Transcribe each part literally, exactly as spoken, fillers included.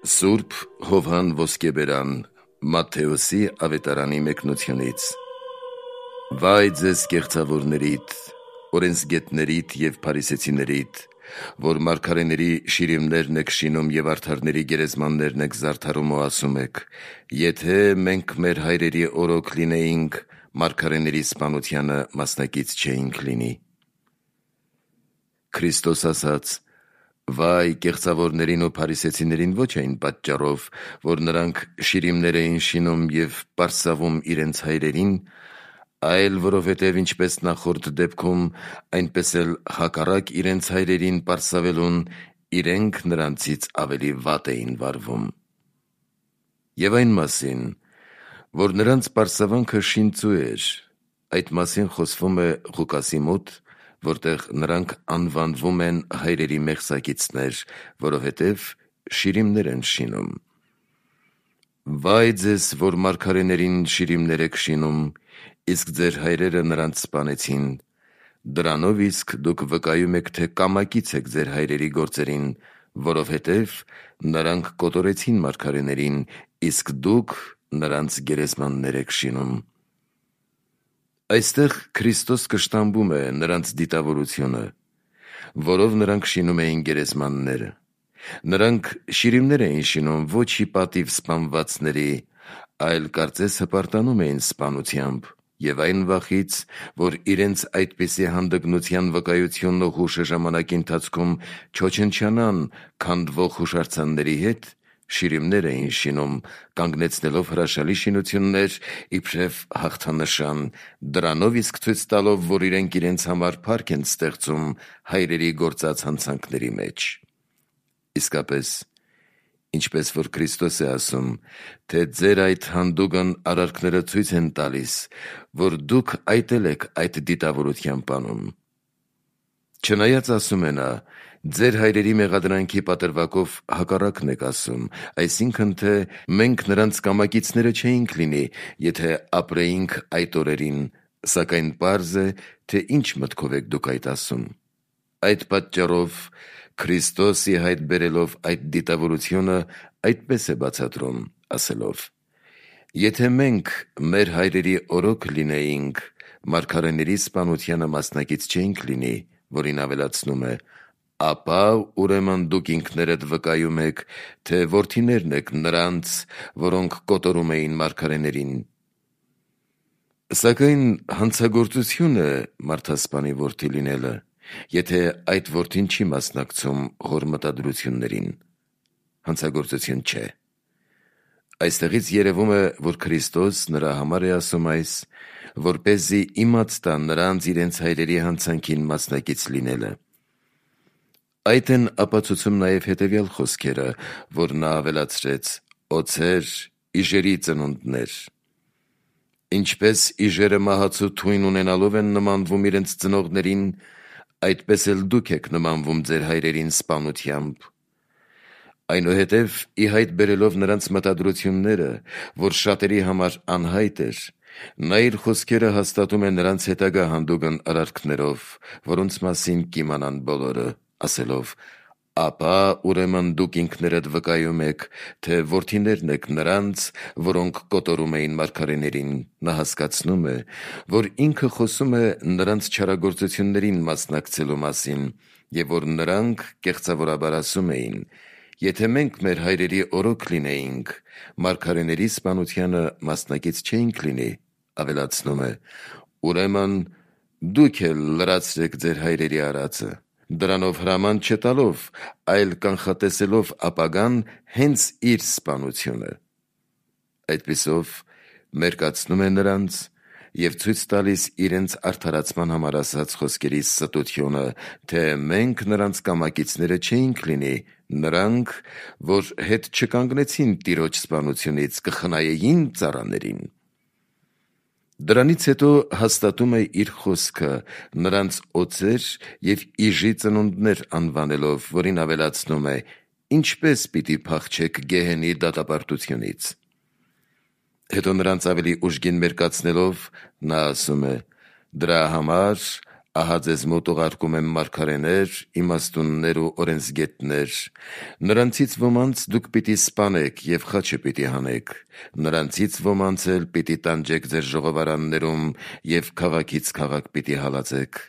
Սուրբ Հովհան Ոսկեբերան Մատթեոսի ավետարանի մեկնությունից։ Վայ ձեզ կեղծավորներիդ, օրենսգետներիդ և փարիսեցիներիդ, որ մարգարեների շիրիմներն եք շինում և արդարների գերեզմաններն եք զարդարում ու ասում եք. եթե մենք մեր հայրերի օրոք լինեինք, մարգարեների սպանությանը մասնակից չէինք լինի։ Քրիստոս ասաց. վայ կեղծավորներին ու փարիսեցիներին ոչ այն պատճառով, որ նրանք շիրիմներ էին շինում և պարսավում իրենց հայրերին, այլ որովհետև ինչպես նախորդ դեպքում, այնպես էլ հակառակ իրենց հայրերին պարսավելուն, իրենք նրանցից ավելի վատ էին վարվում։ Եվ այն մասին, որ նրանց պարսավանքը շինծու էր, այդ մասին խոսվում է Ղուկասի մոտ, որտեղ նրանք անվանվում են հայրերի մեղսակիցներ, որովհետև շիրիմներ են շինում։ Վայ ձեզ, որ մարգարեներին շիրիմներ եք շինում, իսկ ձեր հայրերը նրանց սպանեցին, դրանով իսկ դուք վկայում եք, թե կամակից եք ձեր հայրերի գործերին, որովհետև նրանք կոտորեցին մարգարեներին, իսկ դուք նրանց գերեզմաններ եք շինում։ Այստեղ Քրիստոս կշտամբում է նրանց դիտավորությունը, որով նրանք շինում էին գերեզմանները։ Նրանք շիրիմներ էին շինում ոչ ի պատիվ սպանվածների, այլ կարծես հպարտանում էին սպանությամբ և այն վախից, որ իրենց այդպիսի հանդգնության վկայությունն ու հուշը ժամանակի ընթացքում չոչնչանան քանդվող հուշարձանների հետ, շիրիմներ էին շինում, կանգնեցնելով հրաշալի շինություններ իբրև հաղթանշան, դրանով իսկ ցույց տալով, որ իրենք իրենց համար փառք են ստեղծում հայրերի գործած հանցանքների մեջ։ Իսկապես, ինչպես որ Քրիստոս է ասում, թե ձեր այդ հանդուգն արարքները ցույց են տալիս, որ դուք այտել եք այդ դիտավորության բանում։ Չնայած ասում է նա, ձեր հայրերի մեղադրանքի պատրվակով հակառակն եք ասում, այսինքն թե մենք նրանց կամակիցները չէինք լինի, եթե ապրեինք այդ օրերին, սակայն պարզ է, թե ինչ մտքով եք դուք այդ ասում։ Այդ պատճառով Քրիստոս ի հայտ բերելով այդ դիտավորությունը այդպես է բացատրում, ասելով. եթե մենք մեր հայրերի օրոք լինեինք, մարգարեների սպանությանը մասնակից չէինք լինի, որին ավելացնում է, ապա ուրեմն դուք ինքներդ վկայում եք, թե որդիներն եք նրանց, որոնք կոտորում էին մարգարեներին։ Սակայն հանցագործություն է մարդասպանի որդի լինելը, եթե այդ որդին չի մասնակցում հոր մտադրություններին։ Հանցագործություն չէ։ Այստեղից երևում է, որ Քրիստոս նրա համար է ասում այս, որպեսզի իմաց տա նրանց իրենց հայրերի հանցանքին մասնակից լինելը։ Այդ են ապացուցում նաև հետևյալ խոսքերը, որ նա ավելացրեց. օձեր, իժերի ծնունդներ։ Ինչպես իժերը մահացու թույն ունենալով են նմանվում իրենց ծնողներին, այդպես էլ դուք եք նմանվում ձեր հայրերին սպանությամբ։ Այնուհետև ի հայտ բերելով նրանց մտադրությունները, որ շատերի համար անհայտ էր, նա իր խոսքերը հաստատում է նրանց հետագա հանդուգն արարքներով, որոնց մասին կիմանան բոլորը, ասելով. ապա ուրեմն դուք ինքներդ վկայում եք, թե որդիներն եք նրանց, որոնք կոտորում էին մարգարեներին։ Նա հասկացնում է, որ ինքը խոսում է նրանց չարագործություններին մասնակցելու մասին, և որ նրանք կեղծավորաբար ասում էին. եթե մենք մեր հայրերի օրոք լինեինք, մարգարեների սպանությանը մասնակից չէինք լինի, ավելացնում է. ուրեմն դուք էլ լրացրեք ձեր հայրերի արածը, դրանով հրաման չտալով, այլ կանխատեսելով ապագան հենց իր սպանությունը։ Այդպիսով մերկացնում է նրանց և ցույց տալիս իրենց արդարացման համար ասած խոսքերի ստությունը, թե մենք նրանց կամակիցները չէինք լինի, նրանք, որ հետ չկանգնեցին տիրոջ սպանությունից, կխնայեին ծառաներին։ Դրանից հետո հաստատում է իր խոսքը նրանց օձեր և իժի ծնունդներ անվանելով, որին ավելացնում է. ինչպես պիտի փախչեք գեհենի դատապարտությունից։ Հետո նրանց ավելի ուժգին մերկացնելով, նա ասում է. դրա համար Ահա ձեզ մոտ ուղարկում եմ մարգարեներ, իմաստուններ ու օրենսգետներ, նրանցից ոմանց դուք պիտի սպանեք և խաչը պիտի հանեք, նրանցից ոմանց էլ պիտի տանջեք ձեր ժողովարաններում և քաղաքից քաղաք պիտի հալածեք։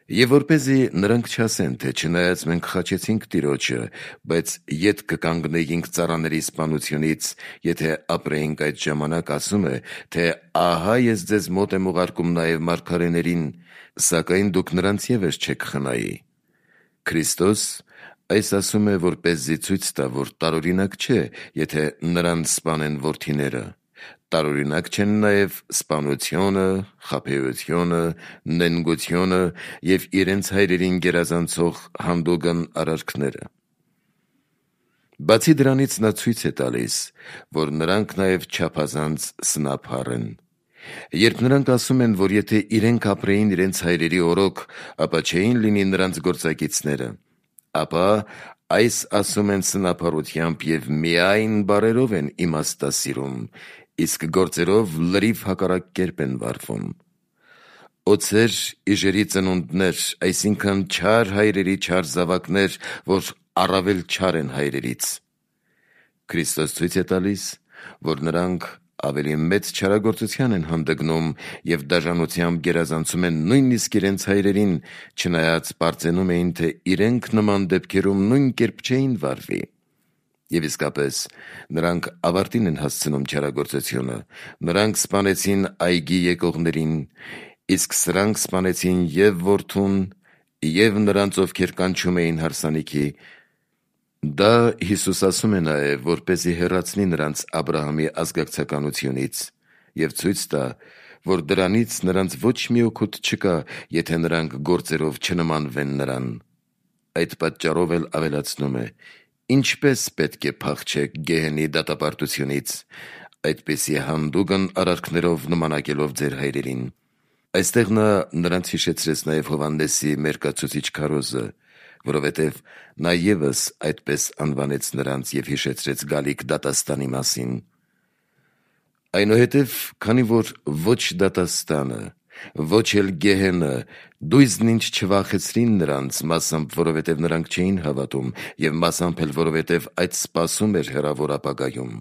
Եվ որպեսզի նրանք չասեն, թե չնայած մենք խաչեցինք Տիրոջը, բայց ետ կկանգնեինք ծառաների սպանությունից, եթե ապրեինք այդ ժամանակ, ասում է, թե ահա ես ձեզ մոտ եմ ուղարկում նաև մարգարեներին, սակայն դուք նրանց ևս չեք խնայի։ Քրիստոս այս ասում է, որպեսզի ցույց տա, որ տարօրինակ չէ, եթե նրան սպանեն որդիները։ Տարօրինակ չեն նաև սպանությունը, խաբեությունը, նենգությունը և իրենց հայրերին գերազանցող հանդուգն արարքները։ Բացի դրանից նա ցույց է տալիս, որ նրանք նաև չափազանց սնափառ են։ Երբ նրանք ասում են, որ եթե իրենք ապրեին իրենց հայրերի օրոք, ապա չէին լինի նրանց գործակիցները, ապա այս ասում են սնափառությամբ և միայն բառերով են իմաստասիրում, իսկ գործերով լրիվ հակառակ կերպ են վարվում։ Օձեր իժերի ծնունդներ, այսինքն չար հայրերի չար զավակներ, որ առավել չար են հայրերից։ Քրիստոս ցույց է տալիս, որ նրանք ավելի մեծ չարագործության են հանդգնում և դաժանությամբ գերազանցում են նույնիսկ իրենց հայրերին, չնայած պարծենում էին, թե իրենք նման դեպքերում նույն կերպ չէին վարվի։ Եվ իսկապես նրանք ավարտին են հասցնում չարագործությունը, նրանք սպանեցին այգի եկողներին, իսկ սրանք սպանեցին և որդուն, և նրանց, ովքեր կանչում էին հարսանիքի։ Դա Հիսուս ասում է նաև, որպեսզի հեռացնի նրանց Աբրահամի ազգակցականությունից և ցույց տա, որ դրանից նրանց ոչ մի օգուտ չկա, եթե նրանք գործերով չնմանվեն նրան։ Այդ պատճառով էլ ավելացնում է. ինչպես պետք է փախչեք գեհենի դատապարտությունից, այդպիսի հանդուգն արարքներով նմանակելով ձեր հայրերին։ Այստեղ նա նրանց հիշեցրեց նաև Հովհաննեսի մերկացուցիչ քարոզը, որովհետև նա ևս այդպես անվանեց նրանց և հիշեցրեց գալիք դատաստանի մասին։ Այնուհետև, քանի որ ոչ դատաստանը, ոչ էլ գեհենը դույզն ինչ չվախեցրին նրանց, մասամբ որովհետև նրանք չէին հավատում և մասամբ էլ որովհետև այդ սպասում էր հեռավոր ապագայում,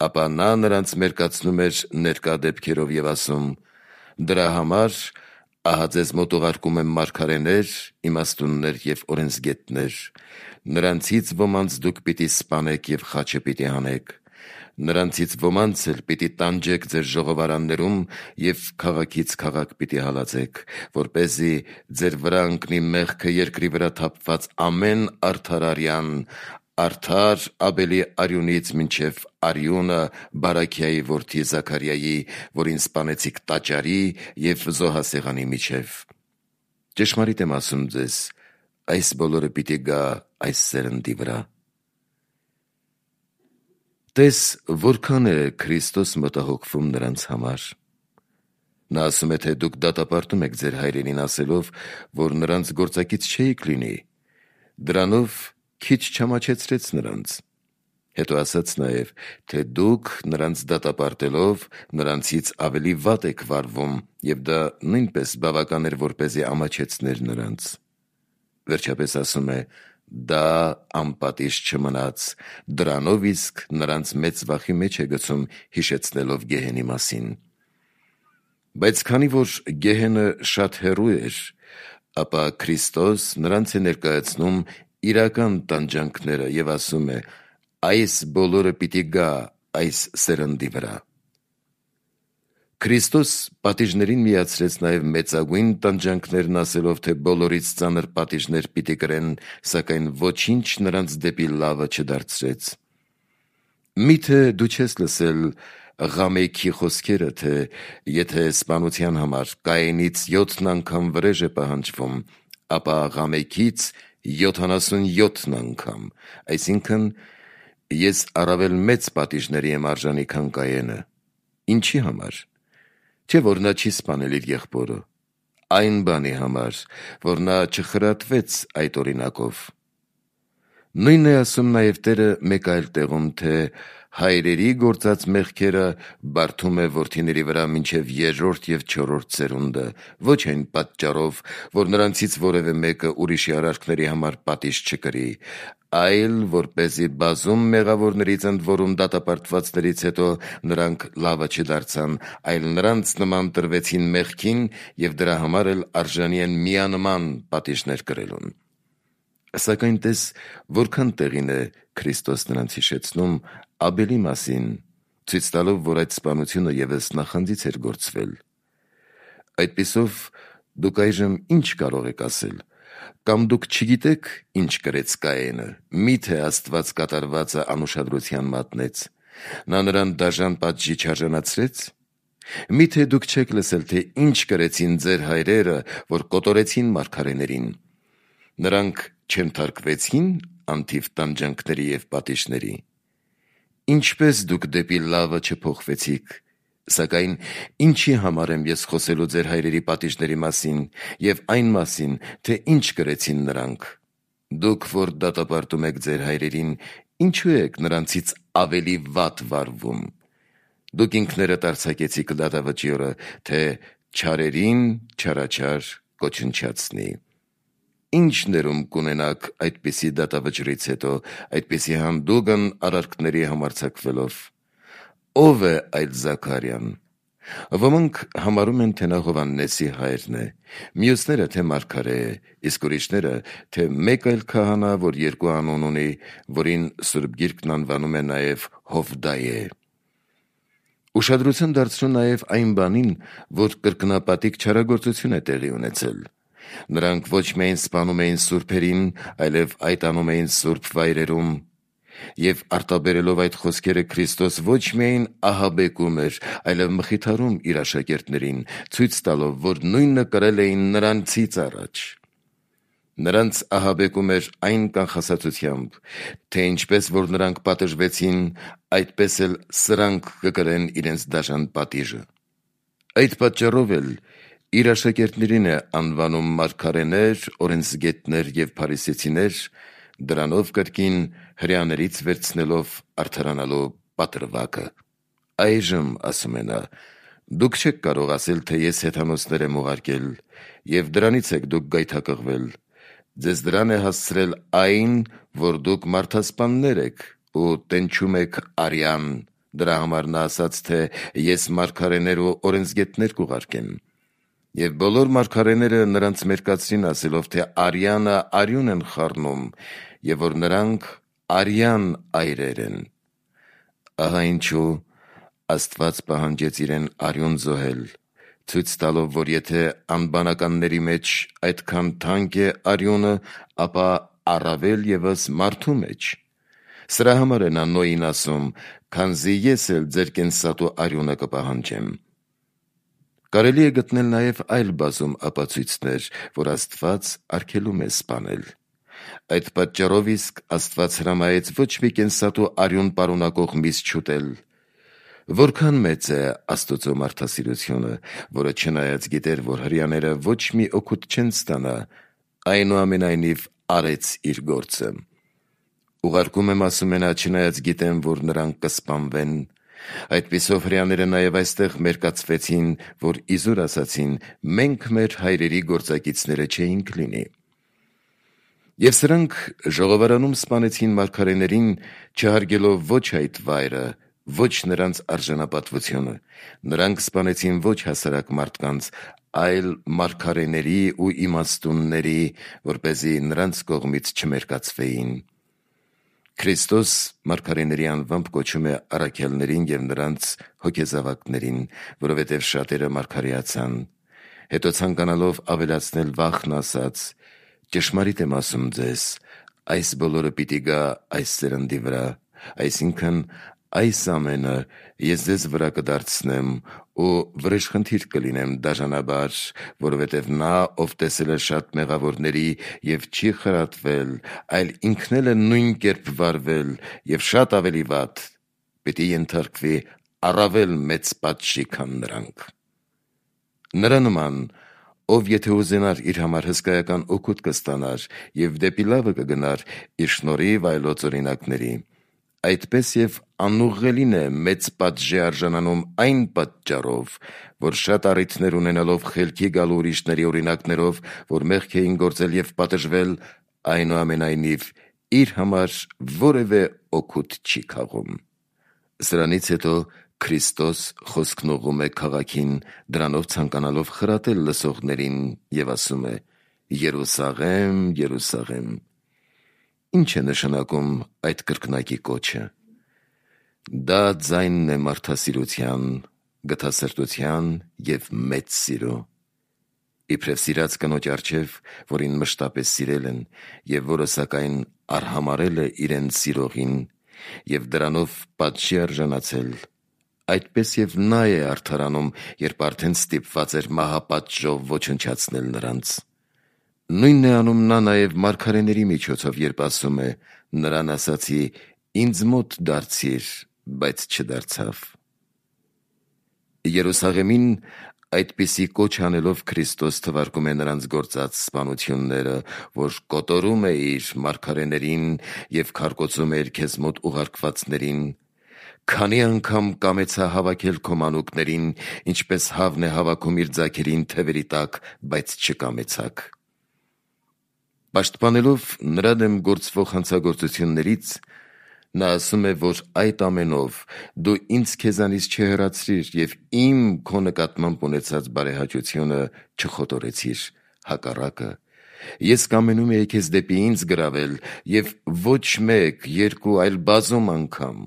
ապա նա նրանց մերկացնում էր ներկա դեպքերով և ասում. «Դրա համար ահա ձեզ մոտ ուղարկում եմ մարգարեներ, իմաստուններ և օրենսգետներ, նրանցից ոմանց դուք պիտի սպանեք և խաչը պիտի հանեք, նրանցից ոմանց էլ պիտի տանջեք ձեր ժողովարաններում և քաղաքից քաղաք պիտի հալածեք, որպեսզի ձեր վրա ընկնի մեղքը երկրի վրա թափված ամեն արդար արյան, արդար Աբելի արյունից մինչև արյունը Բարաքիայի որդի Զաքարիայի, որին սպանեցիք տաճարի և զոհասեղանի միջև։ Ճշմարիտ եմ ասում ձեզ, այս բոլորը պիտի գա այս սերնդի վրա»։ Տես, որքան է Քրիստոս մտահոգվում նրանց համար։ Նա ասում է, թե դուք դատապարտում եք ձեր հայրերին, ասելով, որ նրանց գործակից չէիք լինի։ Դրանով քիչ չամաչեցրեց նրանց։ Հետո ասաց նաև, թե դուք նրանց դատապարտելով նրանցից ավելի վատ եք վարվում, և դա նույնպես բավական էր, որպեսզի ամաչեցներ նրանց։ Վերջապես ասում է. դա անպատիժ չմնաց, դրանով իսկ նրանց մեծ վախի մեջ է գցում, հիշեցնելով գեհենի մասին։ Բայց քանի որ գեհենը շատ հեռու էր, ապա Քրիստոս նրանց է ներկայացնում իրական տանջանքները և ասում է. այս բոլորը պիտի գա այս սերնդի վրա։ Քրիստոս պատիժներին միացրեց նաև մեծագույն տանջանքներն, ասելով, թե բոլորից ծանր պատիժներ պիտի կրեն, սակայն ոչինչ նրանց դեպի լավը չդարձրեց։ Մի՞թե դու չես լսել Ղամեքի խոսքերը, թե եթե սպանության համար Կայենից յոթն անգամ վրեժ է պահանջվում, ապա Ղամեքից յոթանասունյոթ անգամ, այսինքն ես առավել մեծ պատիժների եմ արժանի, քան Կայենը։ Ինչի համար։ Չէ՞ որ նա չի սպանել իր եղբորը, այն բանի համար, որ նա չխրատվեց այդ օրինակով։ Նույնն է ասում նաև Տերը մեկ այլ տեղում, թե հայրերի գործած մեղքերը բարդում է որդիների վրա մինչև երրորդ և չորրորդ սերունդը, ոչ այն պատճառով, որ նրանցից որևէ մեկը ուրիշի արարքների համար պատիժ չկրի, այլ որպեսզի բազում մեղավորներից ընդ որում դատապարտվածներից հետո նրանք լավը չդարձան, այլ նրանց նման տրվեցին մեղքին և դրա համար էլ արժանի են միանման պատիժներ կրելուն։ Սակայն տես որքան տեղին է Քրիստոս նրանց հիշեցնում Աբելի մասին, ցույց տալով, որ այդ սպանությունը ևս նախանձից էր գործվել։ Այդպիսով դուք այժմ ինչ կարող եք ասել, կամ դուք չգիտեք ինչ կրեց Կայենը, միթե Աստված կատարվածը անուշադրության մատնեց, նա նրան դաժան պատժի չարժանացրեց։ Միթե դուք չեք լսել, թե ինչ կրեցին ձեր հայրերը, որ կոտորեցին մարգարեներին, նրանք չենթարկվեցին անթիվ տանջանքների և պատիժների։ Ինչպես դուք դեպի լավը չփոխվեցիք, սակայն ինչի համար եմ ես խոսելու ձեր հայրերի պատիժների մասին և այն մասին, թե ինչ կրեցին նրանք։ Դուք, որ դատապարտում եք ձեր հայրերին, ինչու եք նրանցից ավելի վատ վարվում։ Դուք ինքներդ արձակեցիք դատավճի օրը, թե չարերին չարաչար կոչնչացնի։ Ինչ ներում կունենաք այդպիսի դատավճռից հետո, այդպիսի հանդուգն արարքների համարձակվելով։ Ո՞վ է այդ Զաքարիան։ Ոմանք համարում են, թե նա Հովհաննեսի հայրն է, մյուսները, թե մարգարե է, իսկ ուրիշները, թե մեկ այլ քահանա, որ երկու անուն ունի, որին Սուրբ Գիրքն անվանում է նաև Հովդայե։ Ուշադրություն դարձրու նաև այն բանին, որ կրկնապատիկ չարագործություն է տեղի ունեցել։ Նրանք ոչ միայն սպանում էին սուրբերին, այլև այդ անում էին սուրբ վայրերում, և արտաբերելով այդ խոսքերը Քրիստոս ոչ միայն ահաբեկում էր, այլև մխիթարում իր աշակերտներին, ցույց տալով, որ նույնը կրել էին նրանցից առաջ։ Նրանց ահաբեկում էր այն կանխասացությամբ, թե ինչպես որ նրանք պատժվեցին, այդպես էլ սրանք կկրեն իրենց դաժան պատիժը։ Այդ պատճառով էլ իր աշակերտներին է անվանում մարգարեներ, օրենսգետներ և փարիսեցիներ, դրանով կրկին հրեաներից վերցնելով արդարանալու պատրվակը։ Այժմ, ասում է նա, դուք չեք կարող ասել, թե ես հեթանոսներ եմ ուղարկել, և դրանից եք դուք գայթակղվել։ Ձեզ դրան է հասցրել այն, որ դուք մարդասպաններ եք ու տենչում եք արյան, դրա համար նա ասաց, թե ես մարգարեներ ու օրենսգետներ կուղարկեմ։ Եվ բոլոր մարգարեները նրանց մերկացրին ասելով, թե արյանը արյուն են խառնում, և որ նրանք արյան այրեր են։ Ահա ինչու Աստված պահանջեց իրեն արյուն զոհել, ցույց տալով, որ եթե անբանականների մեջ այդքան թանկ է արյունը, ապա առավել ևս մարդու մեջ։ Սրա համար է նա Նոյին ասում, քանզի ես էլ ձեր կենսատու արյունը կպահանջեմ։ Կարելի է գտնել նաև այլ բազում ապացույցներ, որ Աստված արգելում է սպանել։ Այդ պատճառով իսկ Աստված հրամայեց ոչ մի կենսատու արյուն պարունակող միս չուտել։ Որքան մեծ է Աստծո մարդասիրությունը, որը չնայած գիտեր, որ հրեաները ոչ մի օգուտ չեն ստանա, այնուամենայնիվ արեց իր գործը։ Ուղարկում եմ, ասում է նա, չնայած գիտեմ, որ նրանք կսպանվեն։ Այդպիսով հրեաները նաև այստեղ մերկացվեցին, որ իզուր ասացին, մենք մեր հայրերի գործակիցները չէինք լինի։ Եվ սրանք ժողովարանում սպանեցին մարգարեներին, չհարգելով ոչ այդ վայրը, ոչ նրանց արժանապատվությունը։ Նրանք սպանեցին ոչ հասարակ մարդկանց, այլ մարգարեների ու իմաստունների, որպեսզի նրանց կողմից չմերկացվեին։ Քրիստոս մարգարեների անվամբ կոչում է առաքյալներին և նրանց հոգեզավակներին, որովհետև շատերը մարգարեացան։ Հետո ցանկանալով ավելացնել վախն ասաց. «Ճշմարիտ եմ ասում ձեզ, այս բոլորը պիտի գա այս սերնդի վրա, այսինքն այս ամենը ես ձեզ վրա կդարձնեմ ու վրեժխնդիր կլինեմ դաժանաբար, որովհետև նա, ով տեսել է շատ մեղավորների և չի խրատվել, այլ ինքն էլ է նույն կերպ վարվել և շատ ավելի վատ, պիտի ենթարկվի առավել մեծ պատժի, քան նրանք։ Նրա նման, ով եթե ուզենար իր համար հսկայական օգուտ կստանար եւ դեպի լավը կգնար իր շնորհիվ այլոց օրինակների, այդպես եւ անուղղելին է մեծ պատժի արժանանում այն պատճառով, որ շատ առիթներ ունենալով խելքի գալու ուրիշների օրինակներով, որ մեղք էին գործել եւ պատժվել, այնուամենայնիվ իր համար որևէ օգուտ չի քաղում։ Սրանից հետո Քրիստոս խոսքն ուղղում է քաղաքին, դրանով ցանկանալով խրատել լսողներին եւ ասում է. «Երուսաղեմ, Երուսաղեմ»։ Ինչ է նշանակում այդ կրկնակի կոչը։ Դա ձայնն է մարդասիրության, գթասրտության եւ մեծ սիրո։ Իբրև սիրած կնոջ առջև, որին մշտապես սիրել են եւ որը սակայն արհամարել է իրեն սիրողին եւ դրանով պատժի արժանացել, այդպես եւ նա է արդարանում, երբ արդեն ստիպված էր մահապատժով ոչնչացնել նրանց։ Նույնն է անում նա նաև մարգարեների միջոցով, երբ ասում է. «Նրան ասացի, ինձ մոտ դարձիր, բայց չդարձավ»։ Երուսաղեմին այդպիսի կոչ անելով Քրիստոս թվարկում է նրանց գործած սպանությունները, որ կոտորում է իր մարգարեներին եւ քարկոծում է իր քեզ մոտ ուղարկվածներին։ Քանի անգամ կամեցա հավաքել քո մանուկներին, ինչպես հավն է հավաքում իր ձագերին թևերի տակ, բայց չկամեցաք։ Պաշտպանելով նրա դեմ գործվող հանցագործություններից, նա ասում է, որ այդ ամենով դու ինձ քեզանից չհեռացրիր եւ իմ քո նկատմամբ ունեցած բարեհաճությունը չխոտորեցիր, հակառակը, ես կամենում էի քեզ դեպի ինձ գրավել եւ ոչ մեկ, երկու, այլ բազում անգամ,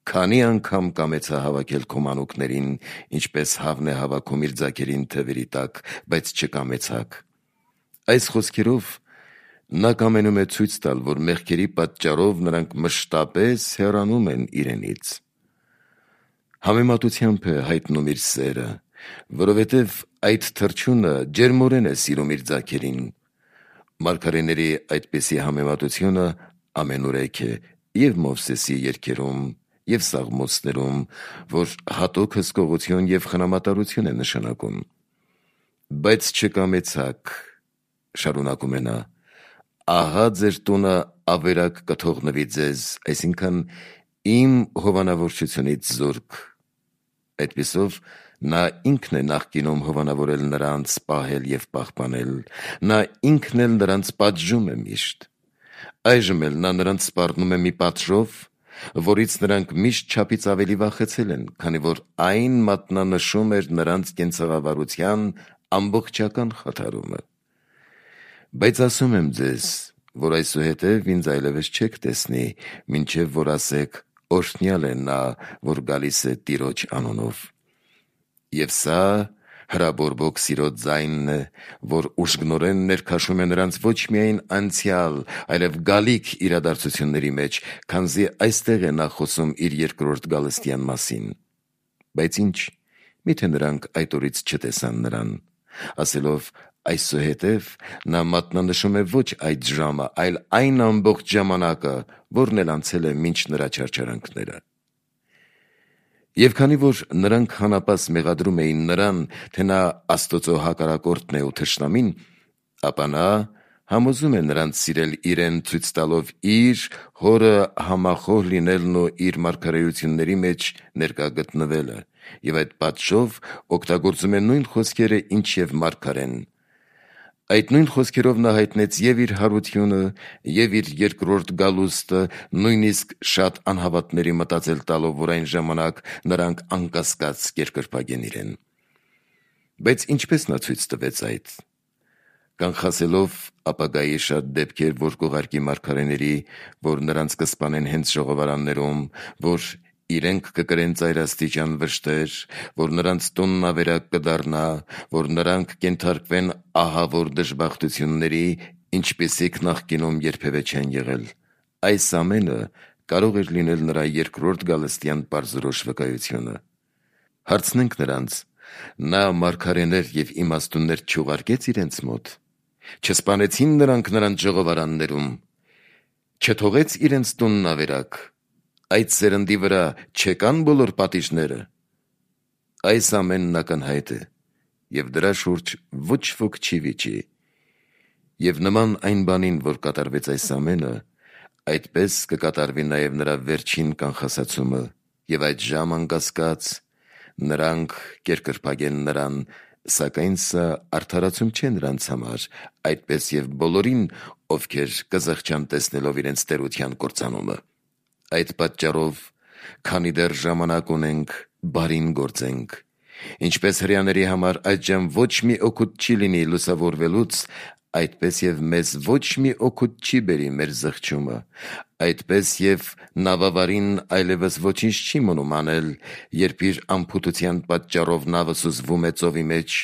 քանի անգամ կամեցա հավաքել քո մանուկներին, ինչպես հավն է հավաքում իր ձագերին թևերի տակ, բայց չկամեցաք։ Այս խոսքերով նա կամենում է ցույց տալ, որ մեղքերի պատճառով նրանք մշտապես հեռանում են իրենից։ Համեմատությամբ է հայտնում իր սերը, որովհետև այդ թռչունը ջերմորեն է սիրում իր ձագերին։ Մարգարեների այդպիսի համեմատությունը ամենուրեք է եւ Մովսեսի երգերում, եւ Սաղմոսներում, որ հատուկ հսկողություն եւ խնամատարություն է նշանակում։ Բայց չկամեցաք, շարունակում է նա, ահա ձեր տունը ավերակ կթողնվի ձեզ, այսինքն իմ հովանավորչությունից զուրկ։ Այդպիսով նա ինքն է նախկինում հովանավորել նրանց, պահել եւ պահպանել, նա ինքն էլ նրանց պատժում է միշտ։ Այժմ էլ նա նրանց սպառնում է մի պատժով, որից նրանք միշտ չափից ավելի վախեցել են, քանի որ այն մատնանշում էր նրանց կենցաղավարության ամբողջական խաթարումը։ Բայց ասում եմ ձեզ, որ այսուհետև ինձ այլևս չեք տեսնի, մինչև որ ասեք. «Օրհնյալ է նա, որ գալիս է Տիրոջ անունով»։ Եվ սա հրաբորբոք սիրո ձայնն է, որ ուժգնորեն ներքաշում է նրանց ոչ միայն անցյալ, այլև գալիք իրադարձությունների մեջ, քանզի այստեղ է նա խոսում իր երկրորդ գալստյան մասին։ Բայց ինչ, միթե նրանք այդ օրից չտեսան նրան, ասելով. Այսուհետև նա մատնանշում է ոչ այդ ժամը, այլ այն ամբողջ ժամանակը, որն էլ անցել է մինչ նրա չարչարանքները։ Եվ քանի որ նրանք հանապաս մեղադրում էին նրան, թե նա Աստծո հակառակորդն է ու թշնամին, ապա նա համոզում է նրանց սիրել իրեն, ցույց տալով իր հորը համախոհ լինելն ու իր մարգարեությունների մեջ ներկա գտնվելը, եւ այդ պատժով օգտագործում է նույն խոսքերը, ինչ եւ մարգարեն։ Այդ նույն խոսքերով նա հայտնեց եւ իր հարությունը, եւ իր երկրորդ գալուստը, նույնիսկ շատ անհավատների մտածել տալով, որ այն ժամանակ նրանք անկասկած կերկրպագեն իրեն։ Բայց ինչպես նա ցույց տվեց այդ։ Կանխասելով ապագայի շատ դեպքեր, որ կուղարկի մարգարեների, որ նրանց կսպանեն հենց ժողովարաններում, որ իրենք կկրեն ծայրաստիճան վշտեր, որ նրանց տունն ավերակ կդառնա, որ նրանք կենթարկվեն ահավոր դժբախտությունների, ինչպիսիք նախկինում երբևէ չեն եղել։ Այս ամենը կարող էր լինել նրա երկրորդ գալստյան պարզորոշ վկայությունը։ Հարցնենք նրանց. նա մարգարեներ եւ իմաստուններ չուղարկեց իրենց մոտ, չսպանեցին նրանք նրանց ժողովարաններում, չթողեց իրենց տունն ավերակ, այդ սերնդի վրա չեկան բոլոր պատիժները։ Այս ամենն ակնհայտ է, եւ դրա շուրջ ոչ ոք չի վիճի։ Եվ նման այն բանին, որ կատարվեց այս ամենը, այդպես կկատարվի նաև նրա վերջին կանխասացումը, եւ այդ ժամ անկասկած նրանք կերկրպագեն նրան, սակայն սա արդարացում չէ նրանց համար, այդպես եւ բոլորին, ովքեր կզղջան տեսնելով իրենց տերության կործանումը։ Այդ պատճառով, քանի դեռ ժամանակ ունենք, բարին գործենք, ինչպես հրեաների համար այդժամ ոչ մի օգուտ չի լինի լուսավորվելուց, այդպես եւ մեզ ոչ մի օգուտ չի բերի մեր զղջումը, այդպես եւ նավավարին այլևս ոչինչ չի մնում անել, երբ իր անփութության պատճառով նավը սուզվում է ծովի մեջ,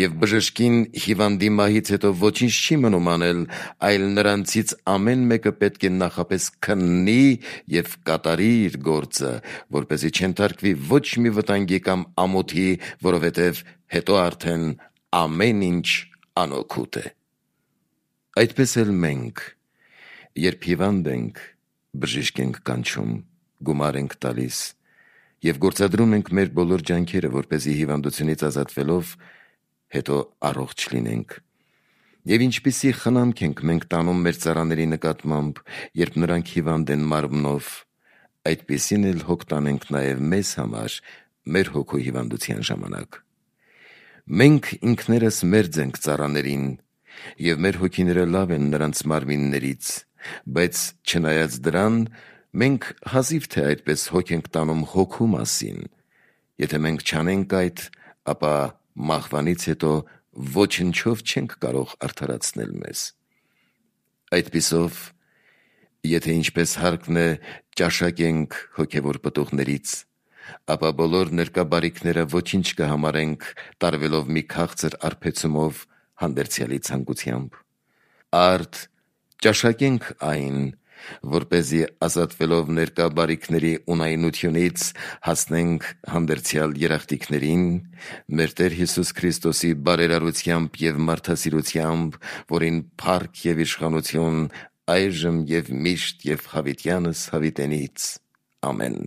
եւ բժշկին հիվանդի մահից հետո ոչինչ չի մնում անել, այլ նրանցից ամեն մեկը պետք է նախապես քննի եւ կատարի իր գործը, որպեսզի չընթարկվի ոչ մի վտանգի կամ ամոթի, որովհետեւ հետո արդեն ամեն ինչ անօգուտ է։ Այդպես էլ մենք, երբ հիվանդ ենք, բժիշկ ենք կանչում, գումար ենք տալիս եւ գործադրում ենք մեր բոլոր ջանքերը, որպեսզի հիվանդությունից ազատվելով հետո առողջ լինենք։ Եվ ինչպիսի խնամք ենք մենք տանում մեր ծառաների նկատմամբ, երբ նրանք հիվանդ են մարմնով, այդպիսին էլ հոգ տանենք նաեւ մեզ համար մեր հոգու հիվանդության ժամանակ։ Մենք ինքներս մերձ ենք ծառաներին, եւ մեր հոգիները լավ են նրանց մարմիններից, բայց չնայած դրան, մենք հազիվ թե այդպես հոգ ենք տանում հոգու մասին։ Եթե մենք չանենք այդ, ապա մահվանից հետո ոչնչով չենք կարող արդարացնել մեզ։ Այդպիսով, եթե ինչպես հարկն է ճաշակենք հոգևոր պտուղներից, ապա բոլոր ներկա բարիքները ոչինչ կհամարենք տարվելով մի քաղցր արբեցումով հանդերձյալի ցանկությամբ։ Արդ ճաշակենք այն, որպեսզի ազատվելով ներկա բարիքների ունայնությունից հասնենք հանդերձյալ երախտիկներին, մեր Տեր Հիսուս Քրիստոսի բարերարությամբ եւ մարդասիրությամբ, որին փառք եւ իշխանություն այժմ եւ միշտ եւ հավիտյանս հավիտենից։ Ամեն։